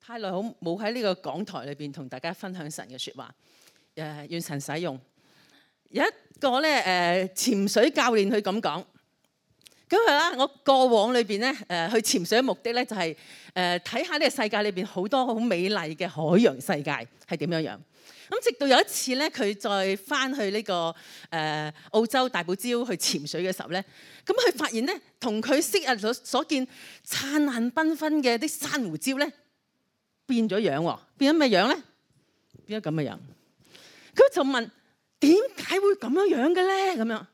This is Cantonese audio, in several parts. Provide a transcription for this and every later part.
太耐好冇喺呢個講台裏邊同大家分享神嘅説話，願神使用。有一個咧潛水教練佢咁講，咁係啦，我過往裏邊咧去潛水嘅目的咧就係睇下呢個世界裏邊好多好美麗嘅海洋世界係點樣樣。咁直到有一次咧，佢再翻去呢個澳洲大堡礁去潛水嘅時候咧，咁佢發現咧同佢昔日所見燦爛繽紛嘅啲珊瑚礁咧變咗樣喎，變咗咩樣咧？變咗咁嘅樣。佢就問點解會咁樣樣嘅咧？咁樣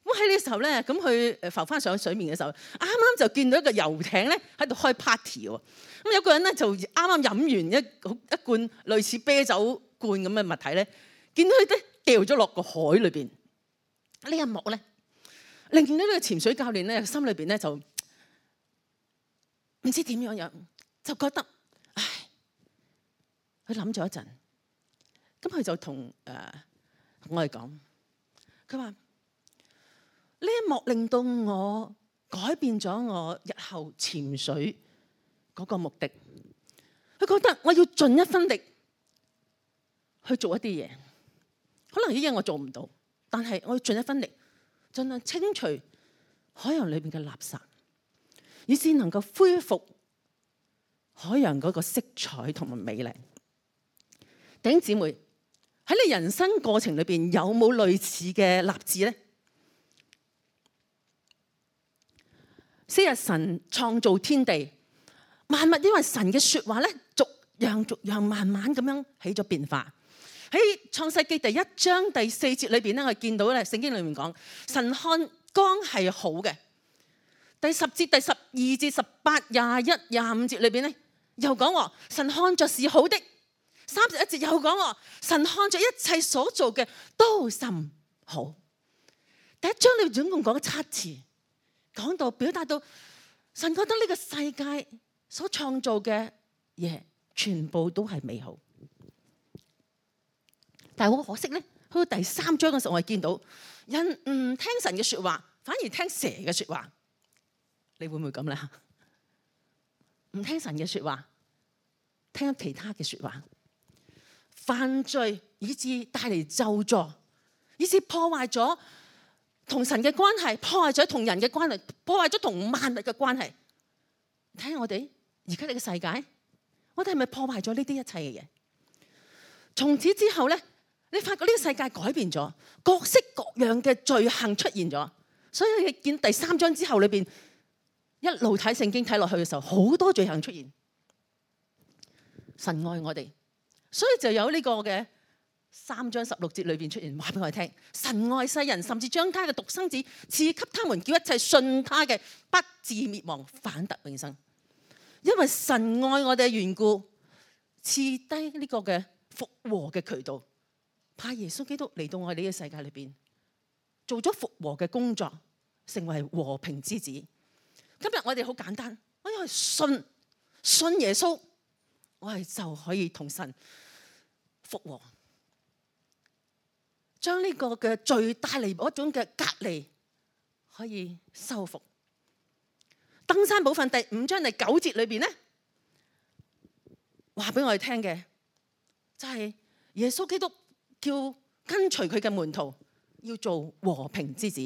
咁喺呢個時候咧，咁佢浮翻上水面嘅時候，啱啱就見到一個遊艇咧喺度開 party 喎。咁有個人咧就啱啱飲完一罐類似啤酒罐咁嘅物體咧，見到佢咧掉咗落個海裏邊。呢一幕咧，令到呢個潛水教練咧心裏邊咧就唔知點樣樣，就覺得唉，佢諗咗一陣，咁佢就同我哋講，佢話呢一幕令到我改變咗我日後潛水嗰個目的。佢覺得我要盡一分力去做一啲嘢，可能呢啲嘢我做唔到，但係我要盡一分力，盡量清除海洋裏邊嘅垃圾，以至能夠恢復海洋嗰個色彩同埋美麗。弟兄姊妹，喺你人生過程裏邊有冇類似嘅立志咧？昔日神創造天地萬物，因為神嘅説話咧，逐樣慢慢咁樣起咗變化。喺創世記第1章第4節裏邊咧，我哋見到咧聖經裏面講神看光係好嘅。第10節、第12節、18、21、25節裏邊咧又講話神看着是好的。31節又講話神看着一切所做嘅都甚好。第1章你總共講咗7次，講到表達到神覺得呢個世界所創造嘅嘢全部都係美好。但係好可惜咧，去到第3章嘅時候，我哋見到人唔聽神嘅説話，反而聽蛇嘅説話。你會唔會咁咧？唔聽神嘅説話，聽其他嘅説話，犯罪以致帶嚟咒詛，以致破壞咗同神嘅關係，破壞咗同人嘅關係，破壞咗同萬物嘅關係。睇下我哋而家呢個世界，我哋係咪破壞咗呢啲一切嘅嘢？從此之後咧，你發覺呢個世界改變咗，各式各樣嘅罪行出現咗。所以你見第3章之後裏邊一路睇聖經睇落去嘅時候，好多罪行出現。神愛我哋，所以就有呢個嘅3章16節裏邊出現，話俾我哋聽：神愛世人，甚至將他嘅獨生子賜給他們，叫一切信他嘅不至滅亡，反得永生。因為神愛我哋嘅緣故，賜低呢個嘅復和嘅渠道，派耶穌基督嚟到我哋呢個世界裏邊，做咗復和嘅工作，成為和平之子。今日我哋好簡單，我因為信耶穌，我哋就可以同神復和，將呢個嘅罪帶嚟嗰種嘅隔離可以修復。登山寶訓第5章第9節裏邊咧，話俾我哋聽嘅就係耶穌基督叫跟隨佢嘅門徒要做和平之子。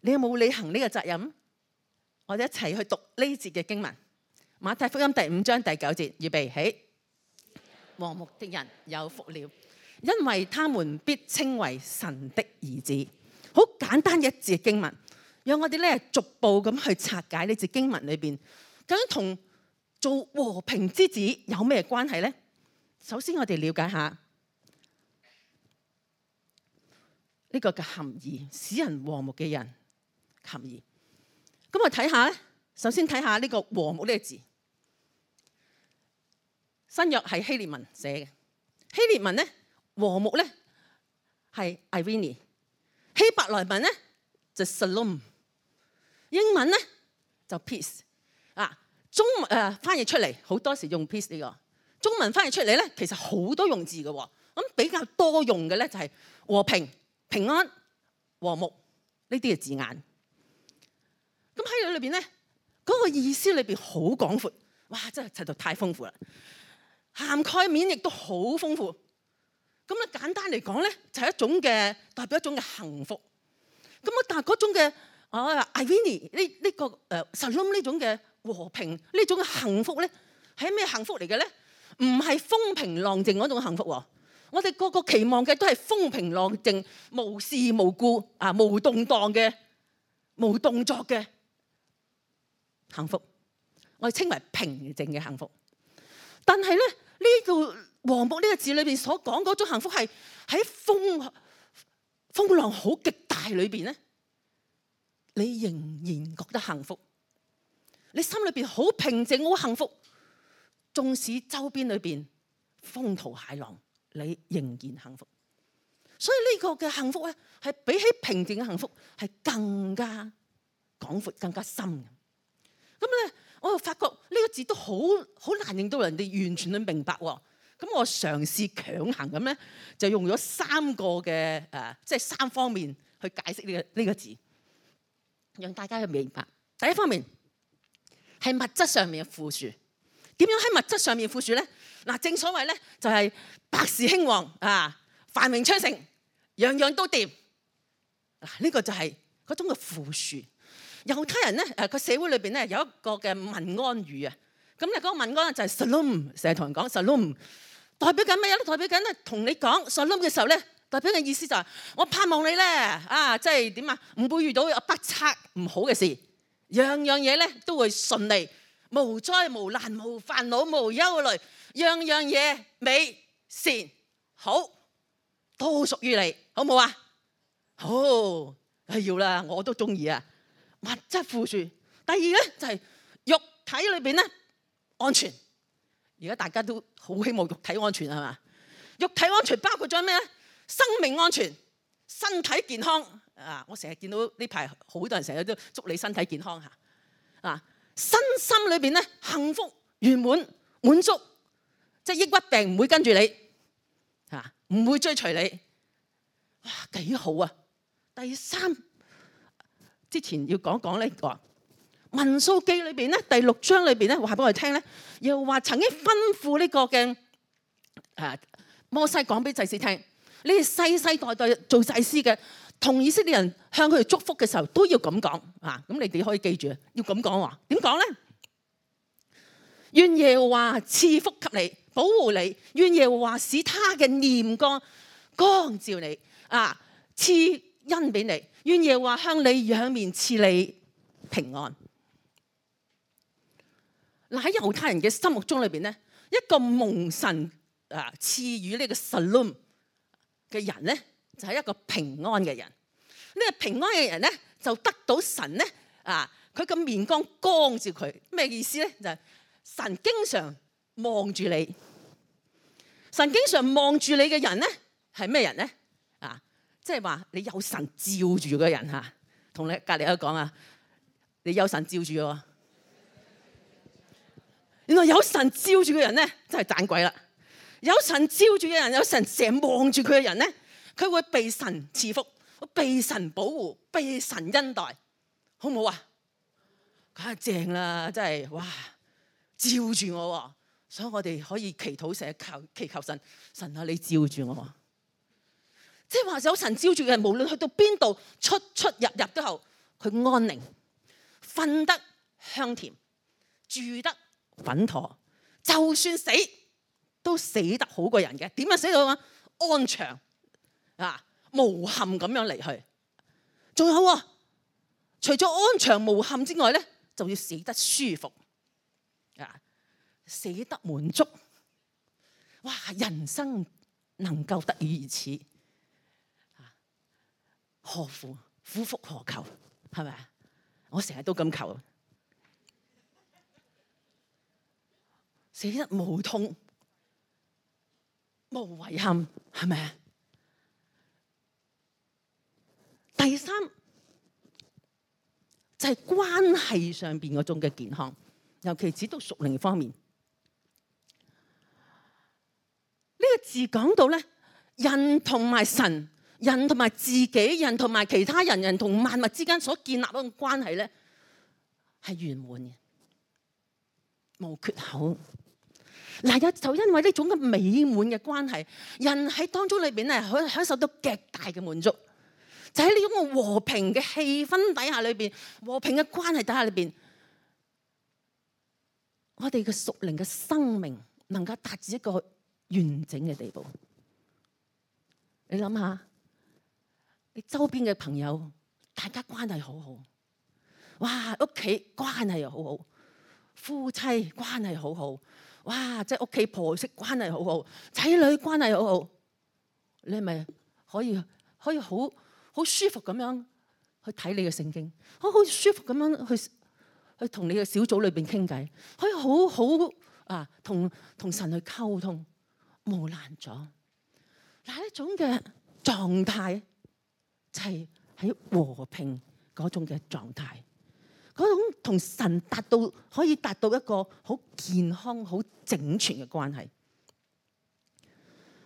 你有冇履行呢個責任？我哋一齊去讀呢節嘅經文，馬太福音第5章第9節，預備起。和睦的人有福了，因為他們必稱為神的兒子。好簡單嘅一節經文，讓我哋咧逐步咁去拆解呢節經文裏邊，究竟同做和平之子有咩關係咧？首先我哋了解下呢個嘅含義，使人和睦嘅人含義。咁我睇下咧，首先睇下呢個和睦呢個字，新約係希臘文寫嘅。希臘文咧和睦咧係 irene， 希伯來文咧就 shalom， 英文咧就 peace。中文翻譯出嚟好多時用 peace 呢個，中文翻譯出嚟咧其實好多用字嘅喎。咁比較多用嘅咧就係和平、平安、和睦呢啲嘅字眼。咁喺裏邊咧，嗰個意思裏邊好廣闊。哇！真係實在太豐富啦，涵蓋面亦都好豐富。咁咧簡單嚟講咧，就係一種嘅代表一種嘅幸福。咁啊，但係嗰種嘅Irene 呢個Shalom 呢種嘅和平呢種嘅幸福咧，係咩幸福嚟嘅咧？唔係風平浪靜嗰種幸福喎。我哋個個期望嘅都係風平浪靜、無事無故無動盪嘅、無動作嘅幸福。我哋稱為平靜嘅幸福。但係咧呢個和睦呢個字裏邊所講嗰種幸福係喺風浪好極大裏邊咧，你仍然覺得幸福，你心裏邊好平靜好幸福，縱使周邊裏邊風濤駭浪，你仍然幸福。所以呢個嘅幸福咧，係比起平靜嘅幸福係更加廣闊、更加深嘅。咁咧，我又發覺呢個字都好難令到人哋完全去明白喎。咁我嘗試強行咁咧，就用咗3個嘅即係3方面去解釋呢個字，讓大家去明白。第一方面係物質上面嘅富庶。點樣喺物質上面富庶咧？嗱，正所謂咧就係百事興旺繁榮昌盛，樣樣都掂。嗱，呢個就係嗰種嘅富庶。猶太人咧個社會裏邊咧有一個嘅問安語啊。咁咧嗰個問安就係 Shalom， 成日同人講 Shalom， 代表緊咩咧？代表緊咧同你講 Shalom 嘅時候咧，代表嘅意思就係我盼望你咧即係點啊？唔會遇到不測唔好嘅事，樣樣嘢咧都會順利，無災無難，無煩惱，無憂慮，樣樣嘢美善好，都屬於你，好冇啊？好，要啦，我都中意啊！物質富庶。第二咧就係肉體裏邊咧安全。而家大家都好希望肉體安全係嘛？肉體安全包括咗咩咧？生命安全、身體健康。我成日見到呢排好多人成日都祝你身體健康嚇。身心裏邊咧幸福圓滿滿足，即係抑鬱病唔會跟住你唔會追隨你。哇，幾好啊！第三，之前要講呢個民數記裏邊咧第6章裏邊咧話俾我哋聽咧，又話曾經吩咐呢個嘅摩西講俾祭司聽，你哋世世代代做祭司嘅，同以色列人向佢哋祝福嘅時候都要咁講咁你哋可以記住要咁講話。點講咧？願耶和華賜福給你，保護你；願耶和華使他嘅臉光照你賜恩俾你；願耶和華向你仰面賜你平安。嗱，喺猶太人嘅心目中裏邊咧，一個蒙神賜予呢個 Shalom 嘅人咧，就係一個平安嘅人。呢個平安嘅人咧，就得到神咧佢個面光照佢。咩意思咧？就係神經常望住你。神經常望住你嘅人咧，係咩人咧？即係話你有神照住嘅人同你隔離都講你有神照住喎。原來有神照住嘅人咧，真係盞鬼啦！有神照住嘅人，有神成日望住佢嘅人咧，佢會被神賜福，被神保護，被神恩待，好唔好啊？梗係正啦，真係哇！照住我喎，所以我哋可以祈禱成日祈求神，神你照住我。即係話有神照住嘅人，無論去到邊度，出入都好，佢安寧，瞓得香甜，住得穩妥，就算死都死得好過人嘅。點樣死到安詳無憾咁樣離去。仲有除咗安詳無憾之外咧，就要死得舒服死得滿足。哇！人生能夠得以如此，何苦苦復何求？係咪啊？我成日都咁求，死得無痛無遺憾，係咪啊？第三就係關係上邊嗰種嘅健康，尤其指到屬靈方面。呢個字講到咧，人同埋神、人同埋自己、人同埋其他人、人同萬物之間所建立嗰種關係咧，係圓滿嘅。冇缺口。嗱，就因為呢種嘅美滿嘅關係，人喺當中裏邊咧，可以享受到極大嘅滿足。就喺呢種嘅和平嘅氣氛底下裏邊，和平嘅關係底下裏邊，我哋嘅屬靈嘅生命能夠達至一個完整嘅地步。你諗下，你周邊嘅朋友，大家關係好好，哇！屋企關係又好好，夫妻關係好好，哇！即係屋企婆媳關係好好，仔女關係好好，你係咪可以好舒服咁樣去睇你嘅聖經，好舒服咁樣去同你嘅小組裏邊傾偈，可以好同神去溝通，冇難咗。嗱，呢種嘅狀態就係喺和平嗰種嘅狀態，嗰種同神可以達到一個好健康、好整全嘅關係。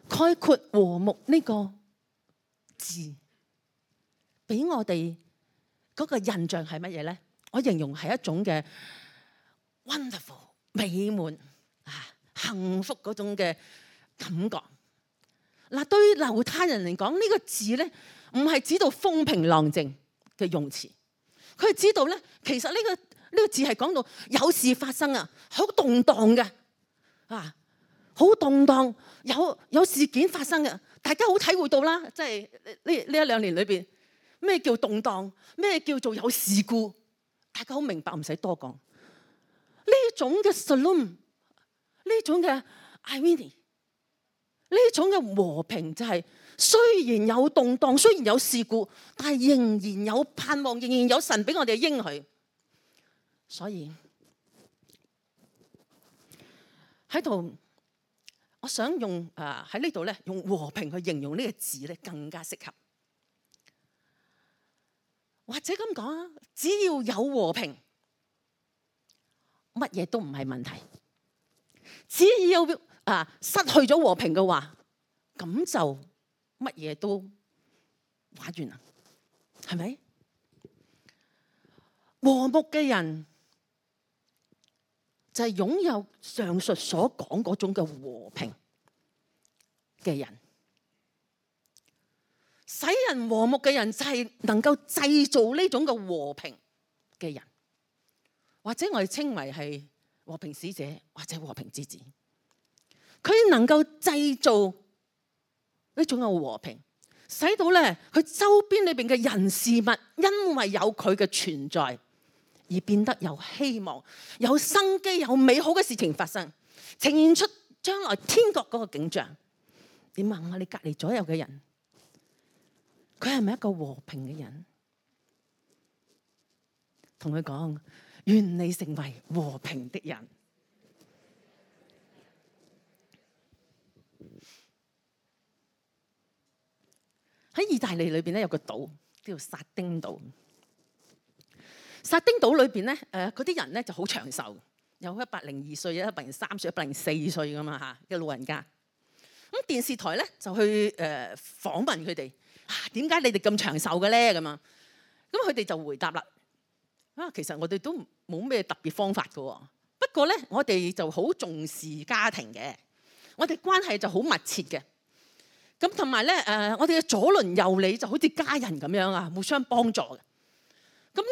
概括和睦呢個字，俾我哋嗰個印象係乜嘢咧？我形容係一種嘅 wonderful 美滿幸福嗰種嘅感覺。嗱，對於猶太人嚟講，呢個字咧唔係指到風平浪靜嘅用詞，佢係知道咧，其實呢個字係講到有事發生啊，好動盪嘅好動盪，有事件發生嘅，大家好體會到啦。即係呢一兩年裏邊，咩叫動盪，咩叫做有事故，大家好明白，唔使多講。呢種嘅 shalom， 呢種嘅 irene， 呢種嘅和平就係雖然有動盪，雖然有事故，但係仍然有盼望，仍然有神俾我哋應許。所以喺度，我想用喺呢度咧，用和平去形容呢個字咧，更加適合。或者咁講啊，只要有和平，乜嘢都唔係問題。只要失去咗和平嘅話，咁就乜嘢都玩完啦，係咪？和睦嘅人就係擁有上述所講嗰種嘅和平嘅人。使人和睦嘅人就係能夠製造呢種嘅和平嘅人，或者我哋稱為係和平使者或者和平之子。佢能夠製造呢種嘅和平，使到咧佢周邊裏邊嘅人事物，因為有佢嘅存在而變得有希望、有生機、有美好嘅事情發生，呈現出將來天國嗰個景象。你問下你隔籬左右嘅人，佢係咪一個和平嘅人？同佢講，願你成為和平的人。喺意大利裏邊咧有個島叫做撒丁島。撒丁島裏邊咧，嗰啲人咧就好長壽，有102歲、103歲、104歲咁啊嚇嘅老人家。咁電視台咧就去訪問佢哋，點解你哋咁長壽嘅咧？咁啊，咁佢哋就回答啦。其實我哋都冇咩特別方法嘅，不過咧我哋就好重視家庭嘅，我哋關係就好密切嘅。咁同埋咧我哋嘅左鄰右里就好似家人咁樣啊，互相幫助嘅。咁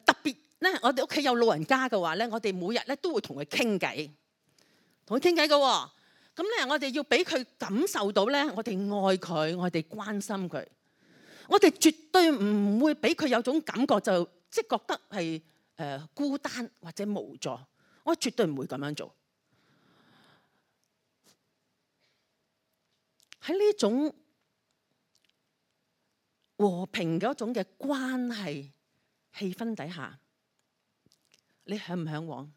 特別咧，我哋屋企有老人家嘅話咧，我哋每日咧都會同佢傾偈，同佢傾偈嘅。咁咧，我哋要俾佢感受到咧，我哋愛佢，我哋關心佢。我哋絕對唔會俾佢有種感覺就即係覺得係孤單或者無助。我絕對唔會咁樣做。喺呢種和平嗰種嘅關係氣氛底下，你向唔向往？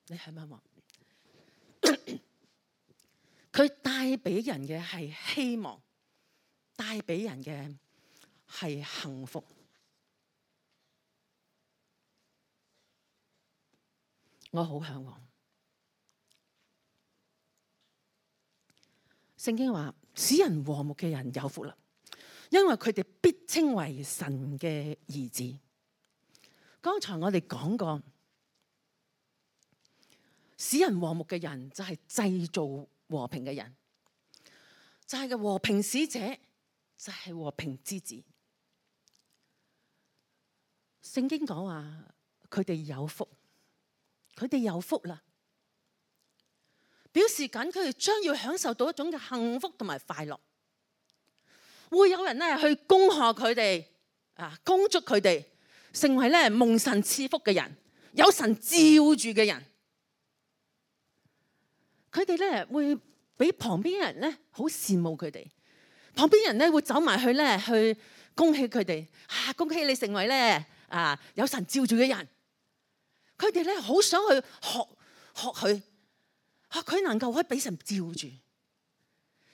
你向唔向往？佢帶俾人嘅係希望，帶俾人嘅係幸福。我好向往。聖經話：使人和睦嘅人有福啦，因為佢哋必稱為神嘅兒子。剛才我哋講過，使人和睦嘅人就係製造和平嘅人，就係個和平使者，就係和平之子。聖經講話佢哋有福，佢哋有福啦，表示緊佢哋將要享受到一種嘅幸福同埋快樂。會有人咧去恭賀佢哋恭祝佢哋成為咧蒙神賜福嘅人，有神照住嘅人。佢哋咧會俾旁邊人咧好羨慕佢哋，旁邊人咧會走埋去咧去恭喜佢哋，恭喜你成為咧有神照住嘅人。佢哋咧好想去學佢能夠可以俾神照住，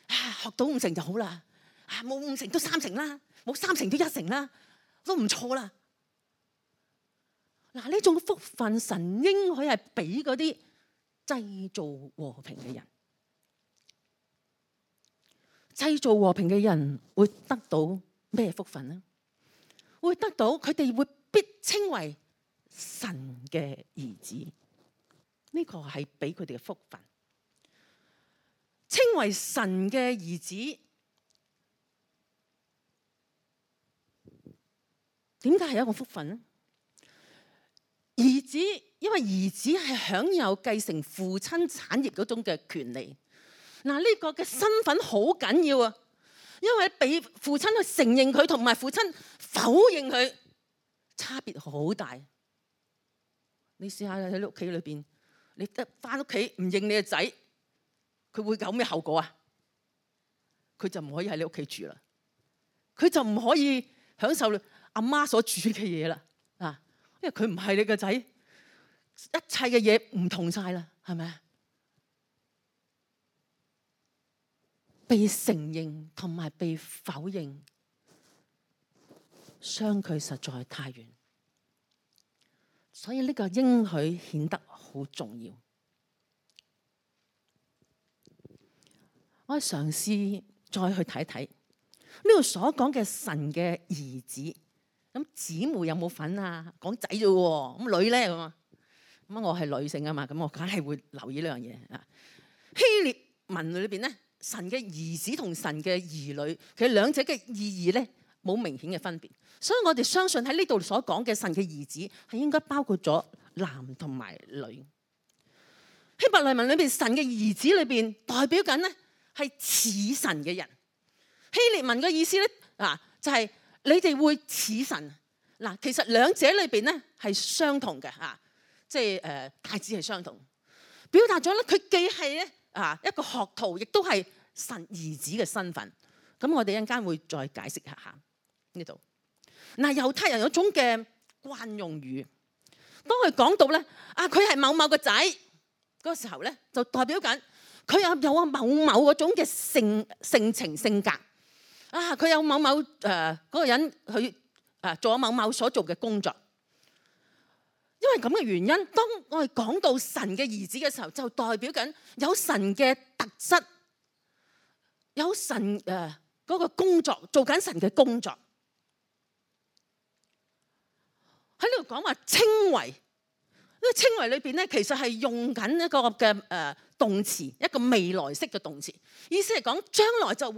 學到5成就好啦，冇5成都3成啦，冇3成都1成啦，都唔錯啦。呢種福分神應許係俾嗰啲製造和平嘅人。製造和平嘅人會得到咩福分呢？會得到佢哋會必稱為神嘅兒子，呢個係俾佢哋嘅福分。稱為神嘅兒子，點解係一個福分呢？兒子，因為兒子係享有繼承父親產業嗰種嘅權利。呢個嘅身份好緊要啊，因為俾父親去承認佢，同埋父親否認佢，差別好大。你試下喺屋企裏邊，你得翻屋企唔認你嘅仔，佢會有咩後果啊？佢就唔可以喺你屋企住啦，佢就唔可以享受阿媽所煮嘅嘢啦。因為佢唔係你個仔，一切嘅嘢唔同晒啦，係咪啊？被承認同埋被否認，相距實在太遠，所以呢個應許顯得好重要。我嘗試再去睇睇呢度所講嘅神嘅兒子。咁姊妹有冇份啊？講仔啫喎，咁女咧咁啊？咁我係女性啊嘛，咁我梗係會留意呢樣嘢啊。希臘文裏邊咧，神嘅兒子同神嘅兒女，其實兩者嘅意義咧冇明顯嘅分別，所以我哋相信喺呢度所講嘅神嘅兒子係應該包括咗男同埋女。希伯來文裏邊神嘅兒子裏邊代表緊咧係似神嘅人。希臘文嘅意思咧就係、是。你哋會似神其實兩者裏邊咧係相同嘅即係大致係相同，表達咗咧佢既係咧一個學徒，亦都係神兒子嘅身份。咁我哋一陣間會再解釋一下呢度。猶太人有種嘅慣用語，當佢講到咧佢係某某個仔嗰個時候咧，就代表緊佢有某某嗰種嘅性情性格。佢有某某嗰個人去做咗某某所做嘅工作，因為咁嘅原因，當我哋講到神嘅兒子嘅時候，就代表緊有神嘅特質，有神嗰個工作，做緊神嘅工作。喺呢度講話稱為，呢個稱為裏邊咧，其實係用緊一個嘅動詞，一個未來式嘅動詞，意思係講將來就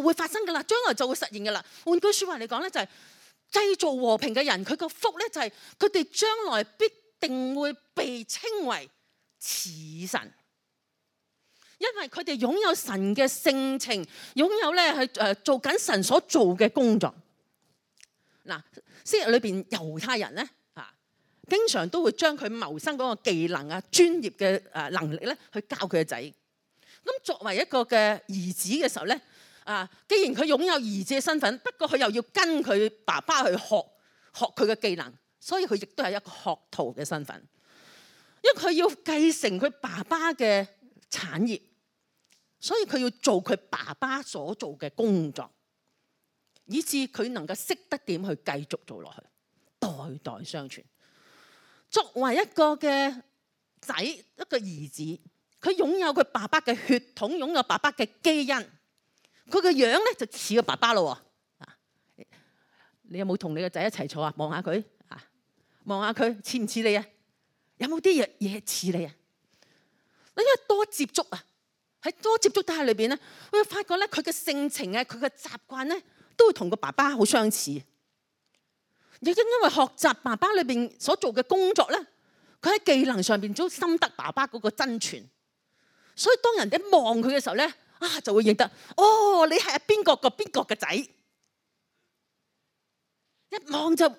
會發生噶啦，將來就會實現噶啦。換句説話嚟講咧，就係製造和平嘅人，佢個福咧就係佢哋將來必定會被稱為似神，因為佢哋擁有神嘅性情，擁有咧係做緊神所做嘅工作。昔日裏邊猶太人咧經常都會將佢謀生嗰個技能專業嘅能力咧去教佢嘅仔。咁作為一個嘅兒子嘅時候咧。既然佢擁有兒子嘅身份，不過佢又要跟佢爸爸去學佢嘅技能，所以佢亦都係一個學徒嘅身份。因為佢要繼承佢爸爸嘅產業，所以佢要做佢爸爸所做嘅工作，以致佢能夠識得點去繼續做落去，代代相傳。作為一個嘅仔，一個兒子，佢擁有佢爸爸嘅血統，擁有爸爸嘅基因。佢個樣咧就似個爸爸咯喎，你有冇同你個仔一齊坐啊？望下佢似唔似你啊？有冇啲嘢似你啊？因為多接觸啊，喺多接觸底下裏邊咧，會發覺咧佢嘅性情啊，佢嘅習慣咧，都會同個爸爸好相似。亦因為學習爸爸裏邊所做嘅工作咧，佢喺技能上邊都深得爸爸嗰個真傳。所以當人哋一望佢嘅時候咧，就會認得，哦，你係邊個邊個嘅仔，一望就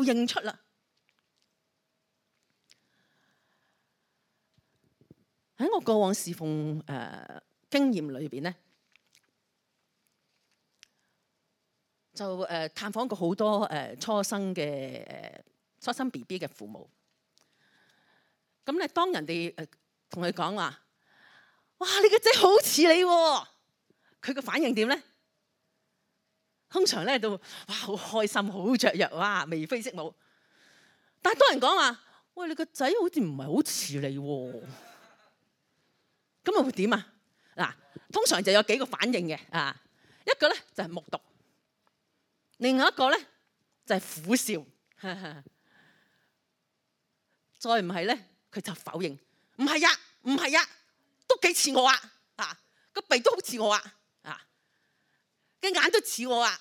認出啦。喺我過往侍奉經驗裏邊咧，就探訪過好多初生 BB 嘅父母。咁咧，當人哋同佢講話，哇！你個仔好似你喎，佢個反應點咧？通常咧都哇好開心，好雀躍，哇眉飛色舞。但係當人講話，喂，你個仔好似唔係好似你喎，咁啊會點啊？嗱，通常就有幾個反應嘅啊，一個咧就係目讀，另外一個咧就係苦笑，再唔係咧佢就否認，唔係呀，唔係呀，都幾似我啊，個鼻都好似我啊，嘅眼都似我啊，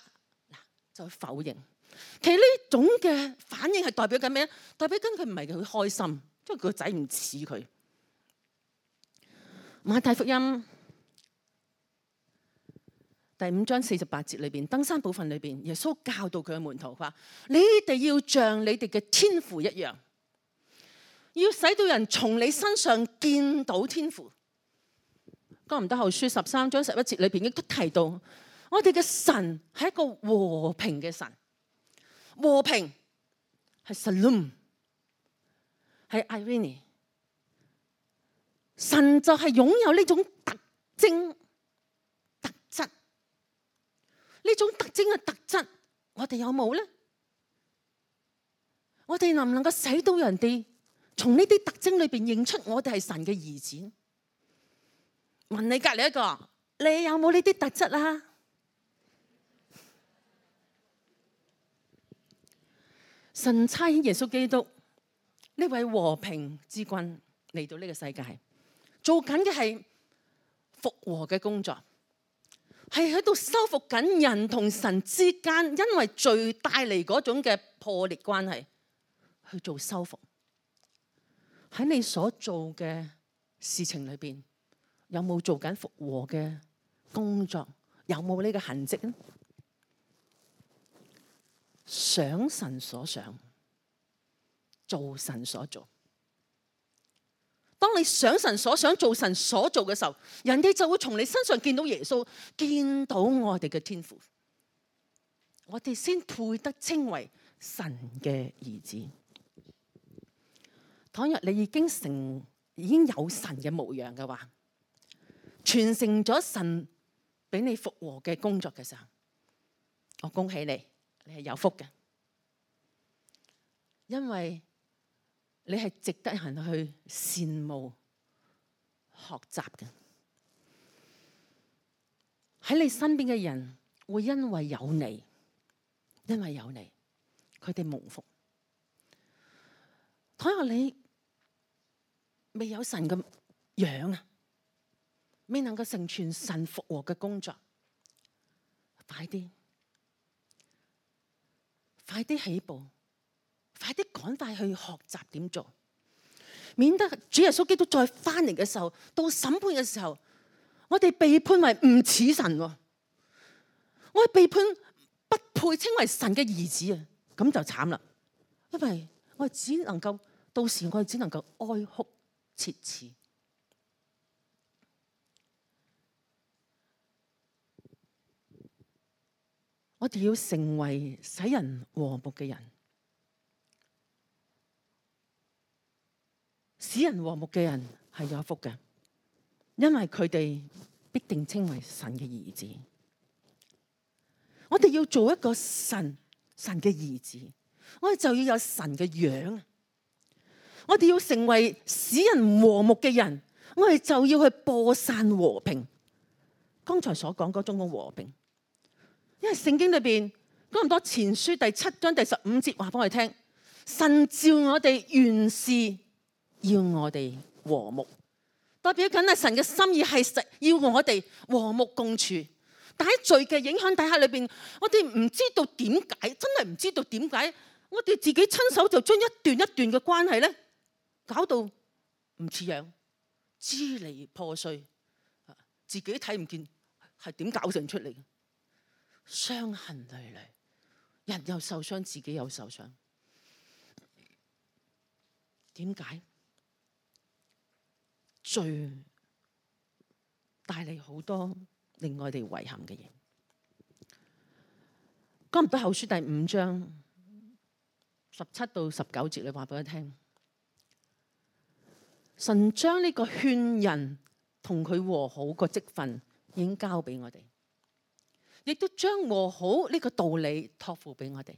嗱就否認。其實呢種嘅反應係代表緊咩咧？代表緊佢唔係佢開心，因為佢個仔唔似佢。馬太福音第5章48節裏邊，登山寶訓裏邊，耶穌教導佢嘅門徒話：你哋要像你哋嘅天父一樣，要使到人從你身上見到天父。哥林多後書13章11節裏邊亦都提到，我哋嘅神係一個和平嘅神，和平係 Shalom， 係 Irene。神就係擁有呢種特徵、特質，呢種特徵嘅特質，我哋有冇咧？我哋能唔能夠使到人哋從呢啲特徵裏邊認出我哋係神嘅兒子？問你隔籬一個，你有冇呢啲特質啊？神差遣耶穌基督呢位和平之君嚟到呢個世界，做緊嘅係復和嘅工作，係喺度修復緊人同神之間因為罪帶嚟嗰種嘅破裂關係，去做修復。喺你所做嘅事情裏邊，有冇做緊復和嘅工作？有冇呢個痕跡呢？想神所想，做神所做。當你想神所想，做神所做嘅時候，人哋就會從你身上見到耶穌，見到我哋嘅天父，我哋先配得稱為神嘅兒子。倘若你已經有神嘅模樣嘅話，傳承咗神俾你復和嘅工作嘅時候，我恭喜你，你係有福嘅，因為你係值得人去羨慕、學習嘅。喺你身邊嘅人會因為有你，佢哋蒙福。倘若你未有神嘅樣啊，未能夠成全神復和嘅工作，快啲起步，快啲趕快去學習點做，免得主耶穌基督再翻嚟嘅時候，到審判嘅時候，我哋被判為唔似神，我哋被判不配稱為神嘅兒子啊，咁就慘啦，因為我哋只能夠到時我哋只能夠哀哭切齒。我哋要成為使人和睦嘅人，使人和睦嘅人係有福嘅，因為佢哋必定稱為神嘅兒子。我哋要做一個神嘅兒子，我哋就要有神嘅樣。我哋要成為使人和睦嘅人，我哋就要去播散和平。剛才所講嗰種嘅和平。因為聖經裏邊哥林多前書第7章第15節話俾我哋聽，神召我哋原是要我哋和睦，代表緊係神嘅心意係要我哋和睦共處。但喺罪嘅影響底下裏邊，我哋唔知道點解，真係唔知道點解，我哋自己親手就將一段一段嘅關係咧，搞到唔似樣，支離破碎，自己睇唔見係點搞成出嚟，傷痕累累，人又受傷，自己又受傷。點解？罪帶嚟好多令我哋遺憾嘅嘢。哥林多後書第5章17到19節，你話俾我聽，神將呢個勸人同佢和好個職分已經交俾我哋，亦都將和好呢個道理託付俾我哋。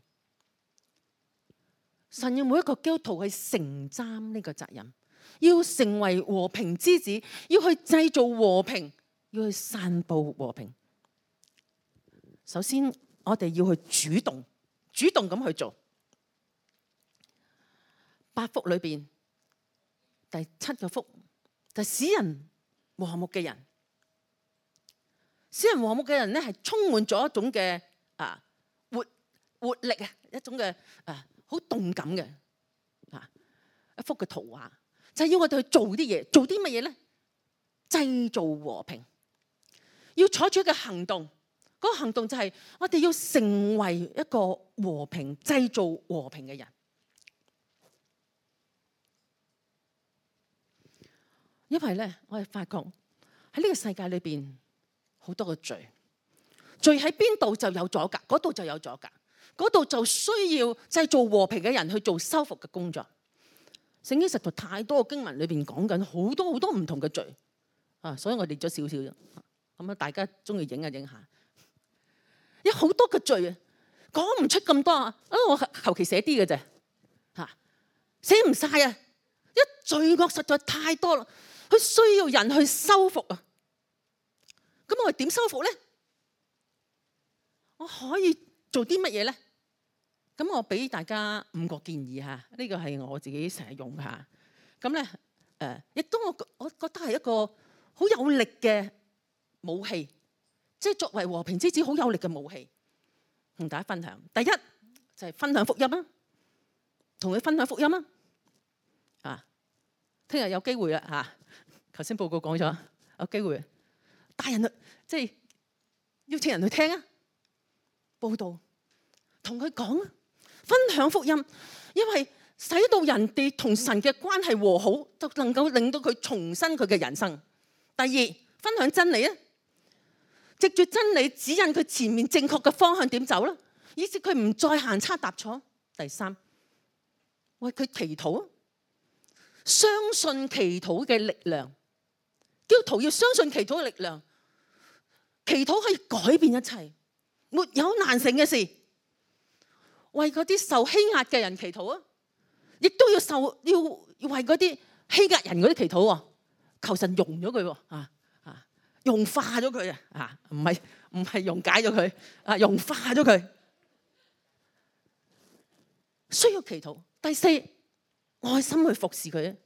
神要每一個基督徒去承擔呢個責任，要成為和平之子，要去製造和平，要去散佈和平。首先，我哋要去主動咁去做。8福裏邊第7個福就係使人和睦嘅人。使人和睦嘅人咧，係充滿咗一種嘅活力啊，一種嘅好動感嘅一幅嘅圖畫，就係要我哋去做啲嘢，做啲乜嘢咧？製造和平，要採取一個行動。嗰個行動就係我哋要成為一個和平、製造和平嘅人。因為咧，我哋發覺喺呢個世界裏邊好多個罪，罪喺邊度就有阻隔，嗰度就有阻隔，嗰度就需要製造和平嘅人去做修復嘅工作。聖經實在太多嘅經文裏邊講緊好多好多唔同嘅罪啊，所以我列咗少少啫。咁啊，大家中意影下，有好多嘅罪啊，講唔出咁多啊，我求其寫啲嘅啫嚇，寫唔晒啊！一罪惡實在太多啦，佢需要人去修復啊。咁我哋點修復咧？我可以做啲乜嘢咧？咁我俾大家5個建議嚇，呢個係我自己成日用嚇。咁咧亦都我覺得係一個好有力嘅武器，即係作為和平之子好有力嘅武器，同大家分享。第一就係分享福音啦，同佢分享福音啦。聽日有機會啦嚇，頭先報告講咗有機會帶人去，即係邀請人去聽啊，報道，同佢講啊，分享福音，因為使到人哋同神嘅關係和好，就能夠令到佢重新佢嘅人生。第二，分享真理啊，藉住真理指引佢前面正確嘅方向點走啦，以致佢唔再行差踏錯。第三，為佢祈禱啊，相信祈禱嘅力量。基督徒要相信祈禱嘅力量，祈禱可以改變一切，沒有難成嘅事。為嗰啲受欺壓嘅人祈禱啊，亦都要為嗰啲欺壓人嗰啲祈禱喎，求神融咗佢喎，融化咗佢啊，唔係溶解咗佢，融化咗佢，需要祈禱。第四，愛心去服侍佢，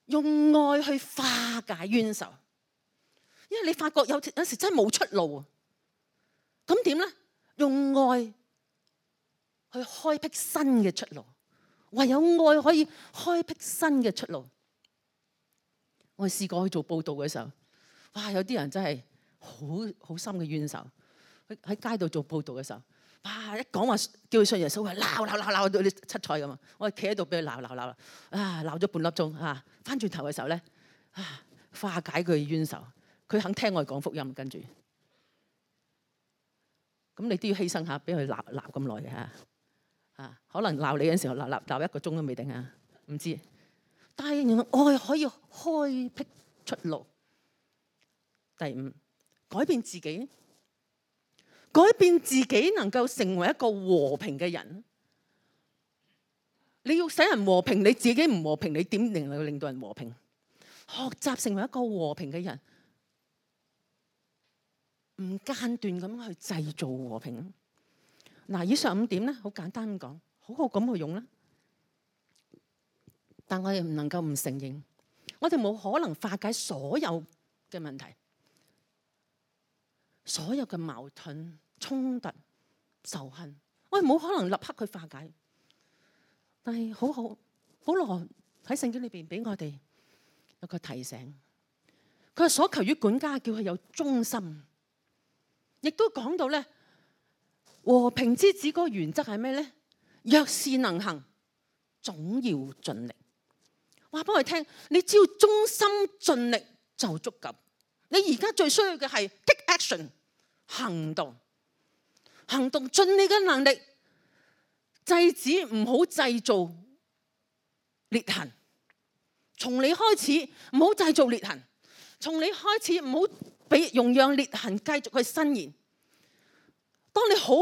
用愛去化解冤仇。因為你發覺有時真係冇出路啊，咁點咧？用愛去開闢新嘅出路，唯有愛可以開闢新嘅出路。我試過去做報道嘅時候，哇！有啲人真係好深嘅冤仇，喺街度做報道嘅時候，哇！一講話叫佢信耶穌，鬧到你七彩咁啊！我係企喺度俾佢鬧鬧咗半粒鐘啊！翻轉頭嘅時候咧，化解佢冤仇，佢肯聽我哋講福音，跟住咁你都要犧牲下，俾佢鬧咁耐嘅嚇，可能鬧你嘅時候鬧1個鐘都未定啊，唔知。但係原來愛可以開闢出路。第五，改變自己，改變自己能夠成為一個和平嘅人。你要使人和平，你自己唔和平，你點能夠令到人和平？學習成為一個和平嘅人，唔間斷咁去製造和平。嗱，以上5點咧，好簡單咁講，好好咁去用啦。但我哋唔能夠唔承認，我哋冇可能化解所有嘅問題，所有嘅矛盾、衝突、仇恨，我哋冇可能立刻去化解。但係保羅喺聖經裏邊俾我哋有個提醒，佢話所求於管家叫佢有忠心，亦都講到咧和平之子嗰個原則係咩咧？若是能行，總要盡力。話俾我哋聽，你只要忠心盡力就足夠。你而家最需要嘅係 take action， 行動，盡你嘅能力，制止唔好製造裂痕。從你開始唔好製造裂痕，從你開始唔好俾容讓裂痕繼續去伸延。當你好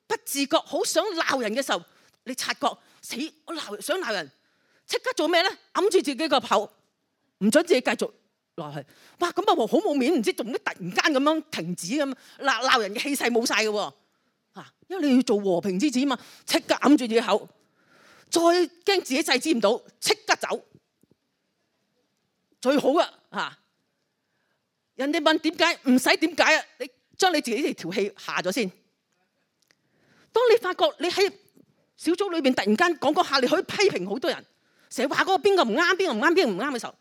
不自覺好想鬧人嘅時候，你察覺死我想鬧人，即刻做咩咧？揞住自己個口，唔准自己繼續落去。哇！咁啊好冇面，唔知做咩突然間咁樣停止咁鬧人嘅氣勢冇晒嘅喎嚇，因為你要做和平之子嘛，即刻揞住自己口，再驚自己制止唔到，即刻走。最好啊嚇！人哋問點解，唔使點解啊！你將你自己條氣下咗先。當你發覺你喺小組裏邊突然間講下，你可以批評好多人，成日話嗰個邊個唔啱，邊個唔啱，邊個唔啱嘅時候，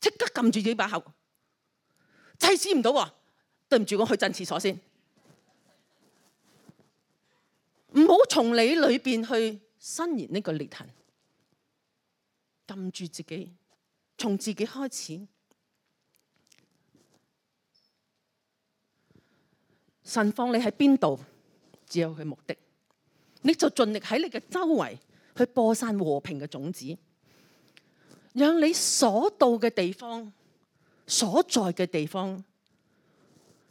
即刻撳住自己把口，制止唔到喎。對唔住，我去陣廁所先。唔好從你裏邊去伸延呢個裂痕，撳住自己。從自己開始，神放你喺邊度，只有佢目的。你就盡力喺你嘅周圍去播散和平嘅種子，讓你所到嘅地方、所在嘅地方，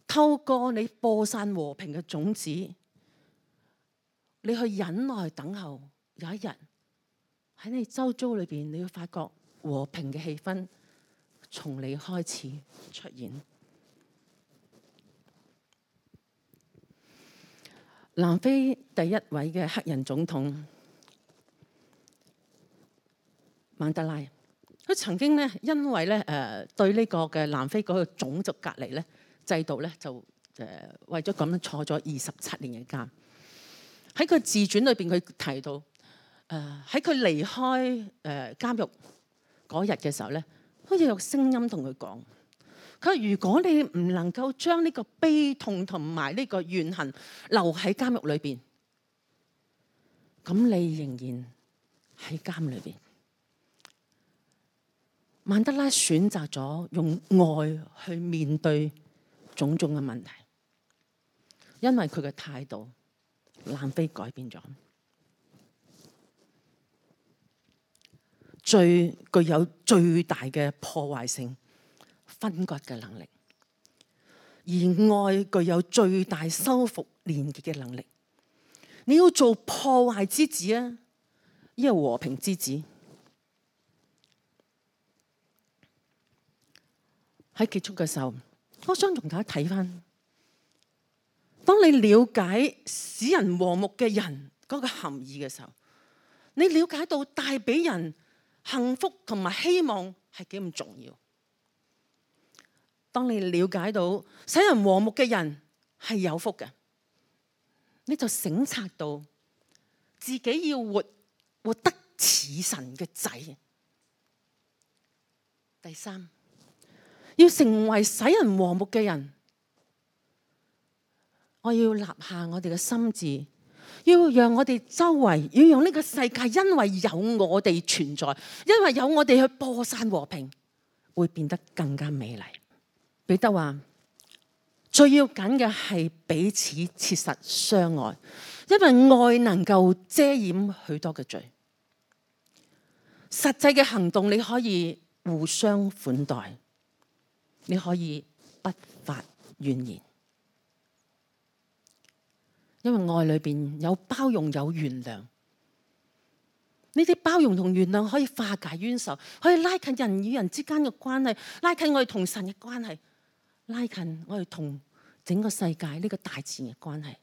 透過你播散和平嘅種子，你去忍耐等候，有一日喺你周遭裏邊，你會發覺和平嘅氣氛從你開始出現。南非第一位嘅黑人總統曼德拉，佢曾經咧因為咧對呢個嘅南非嗰個種族隔離咧制度咧就為咗咁樣坐咗27年嘅監。喺佢自傳裏邊，佢提到喺佢離開監獄嗰日嘅時候咧，好似有聲音同佢講，佢話如果你唔能夠將呢個悲痛同埋呢個怨恨留喺監獄裏邊，咁你仍然喺監裏邊。曼德拉選擇咗用愛去面對種種嘅問題，因為佢嘅態度，南非改變咗。具有最大嘅破壞性、分割嘅能力，而愛具有最大修復連結嘅能力。你要做破壞之子啊，亦係和平之子。喺結束嘅時候，我想同大家睇翻，當你了解使人和睦嘅人嗰個含義嘅時候，你了解到帶俾人幸福同埋希望係幾咁重要。當你了解到使人和睦嘅人係有福嘅，你就省察到自己要活得似神嘅仔。第三，要成為使人和睦嘅人，我要立下我哋嘅心志，要讓我哋周圍，要讓呢個世界因為有我哋存在，因為有我哋去播散和平，會變得更加美麗。彼得話：最要緊嘅係彼此切實相愛，因為愛能夠遮掩許多嘅罪。實際嘅行動，你可以互相款待，你可以不發怨言，因為愛裏邊有包容，有原諒。呢啲包容同原諒可以化解冤仇，可以拉近人與人之間嘅關係，拉近我哋同神嘅關係，拉近我哋同整個世界呢個大自然嘅關係，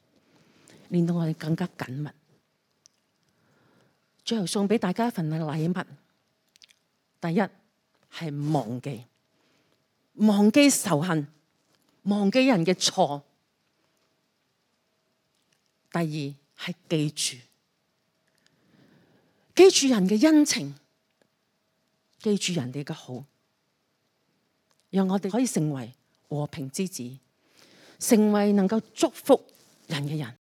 令到我哋更加緊密。最後送俾大家一份禮物。第一，係忘記仇恨，忘記人嘅錯。第二係記住人嘅恩情，記住人哋嘅好，讓我哋可以成為和平之子，成為能夠祝福人嘅人。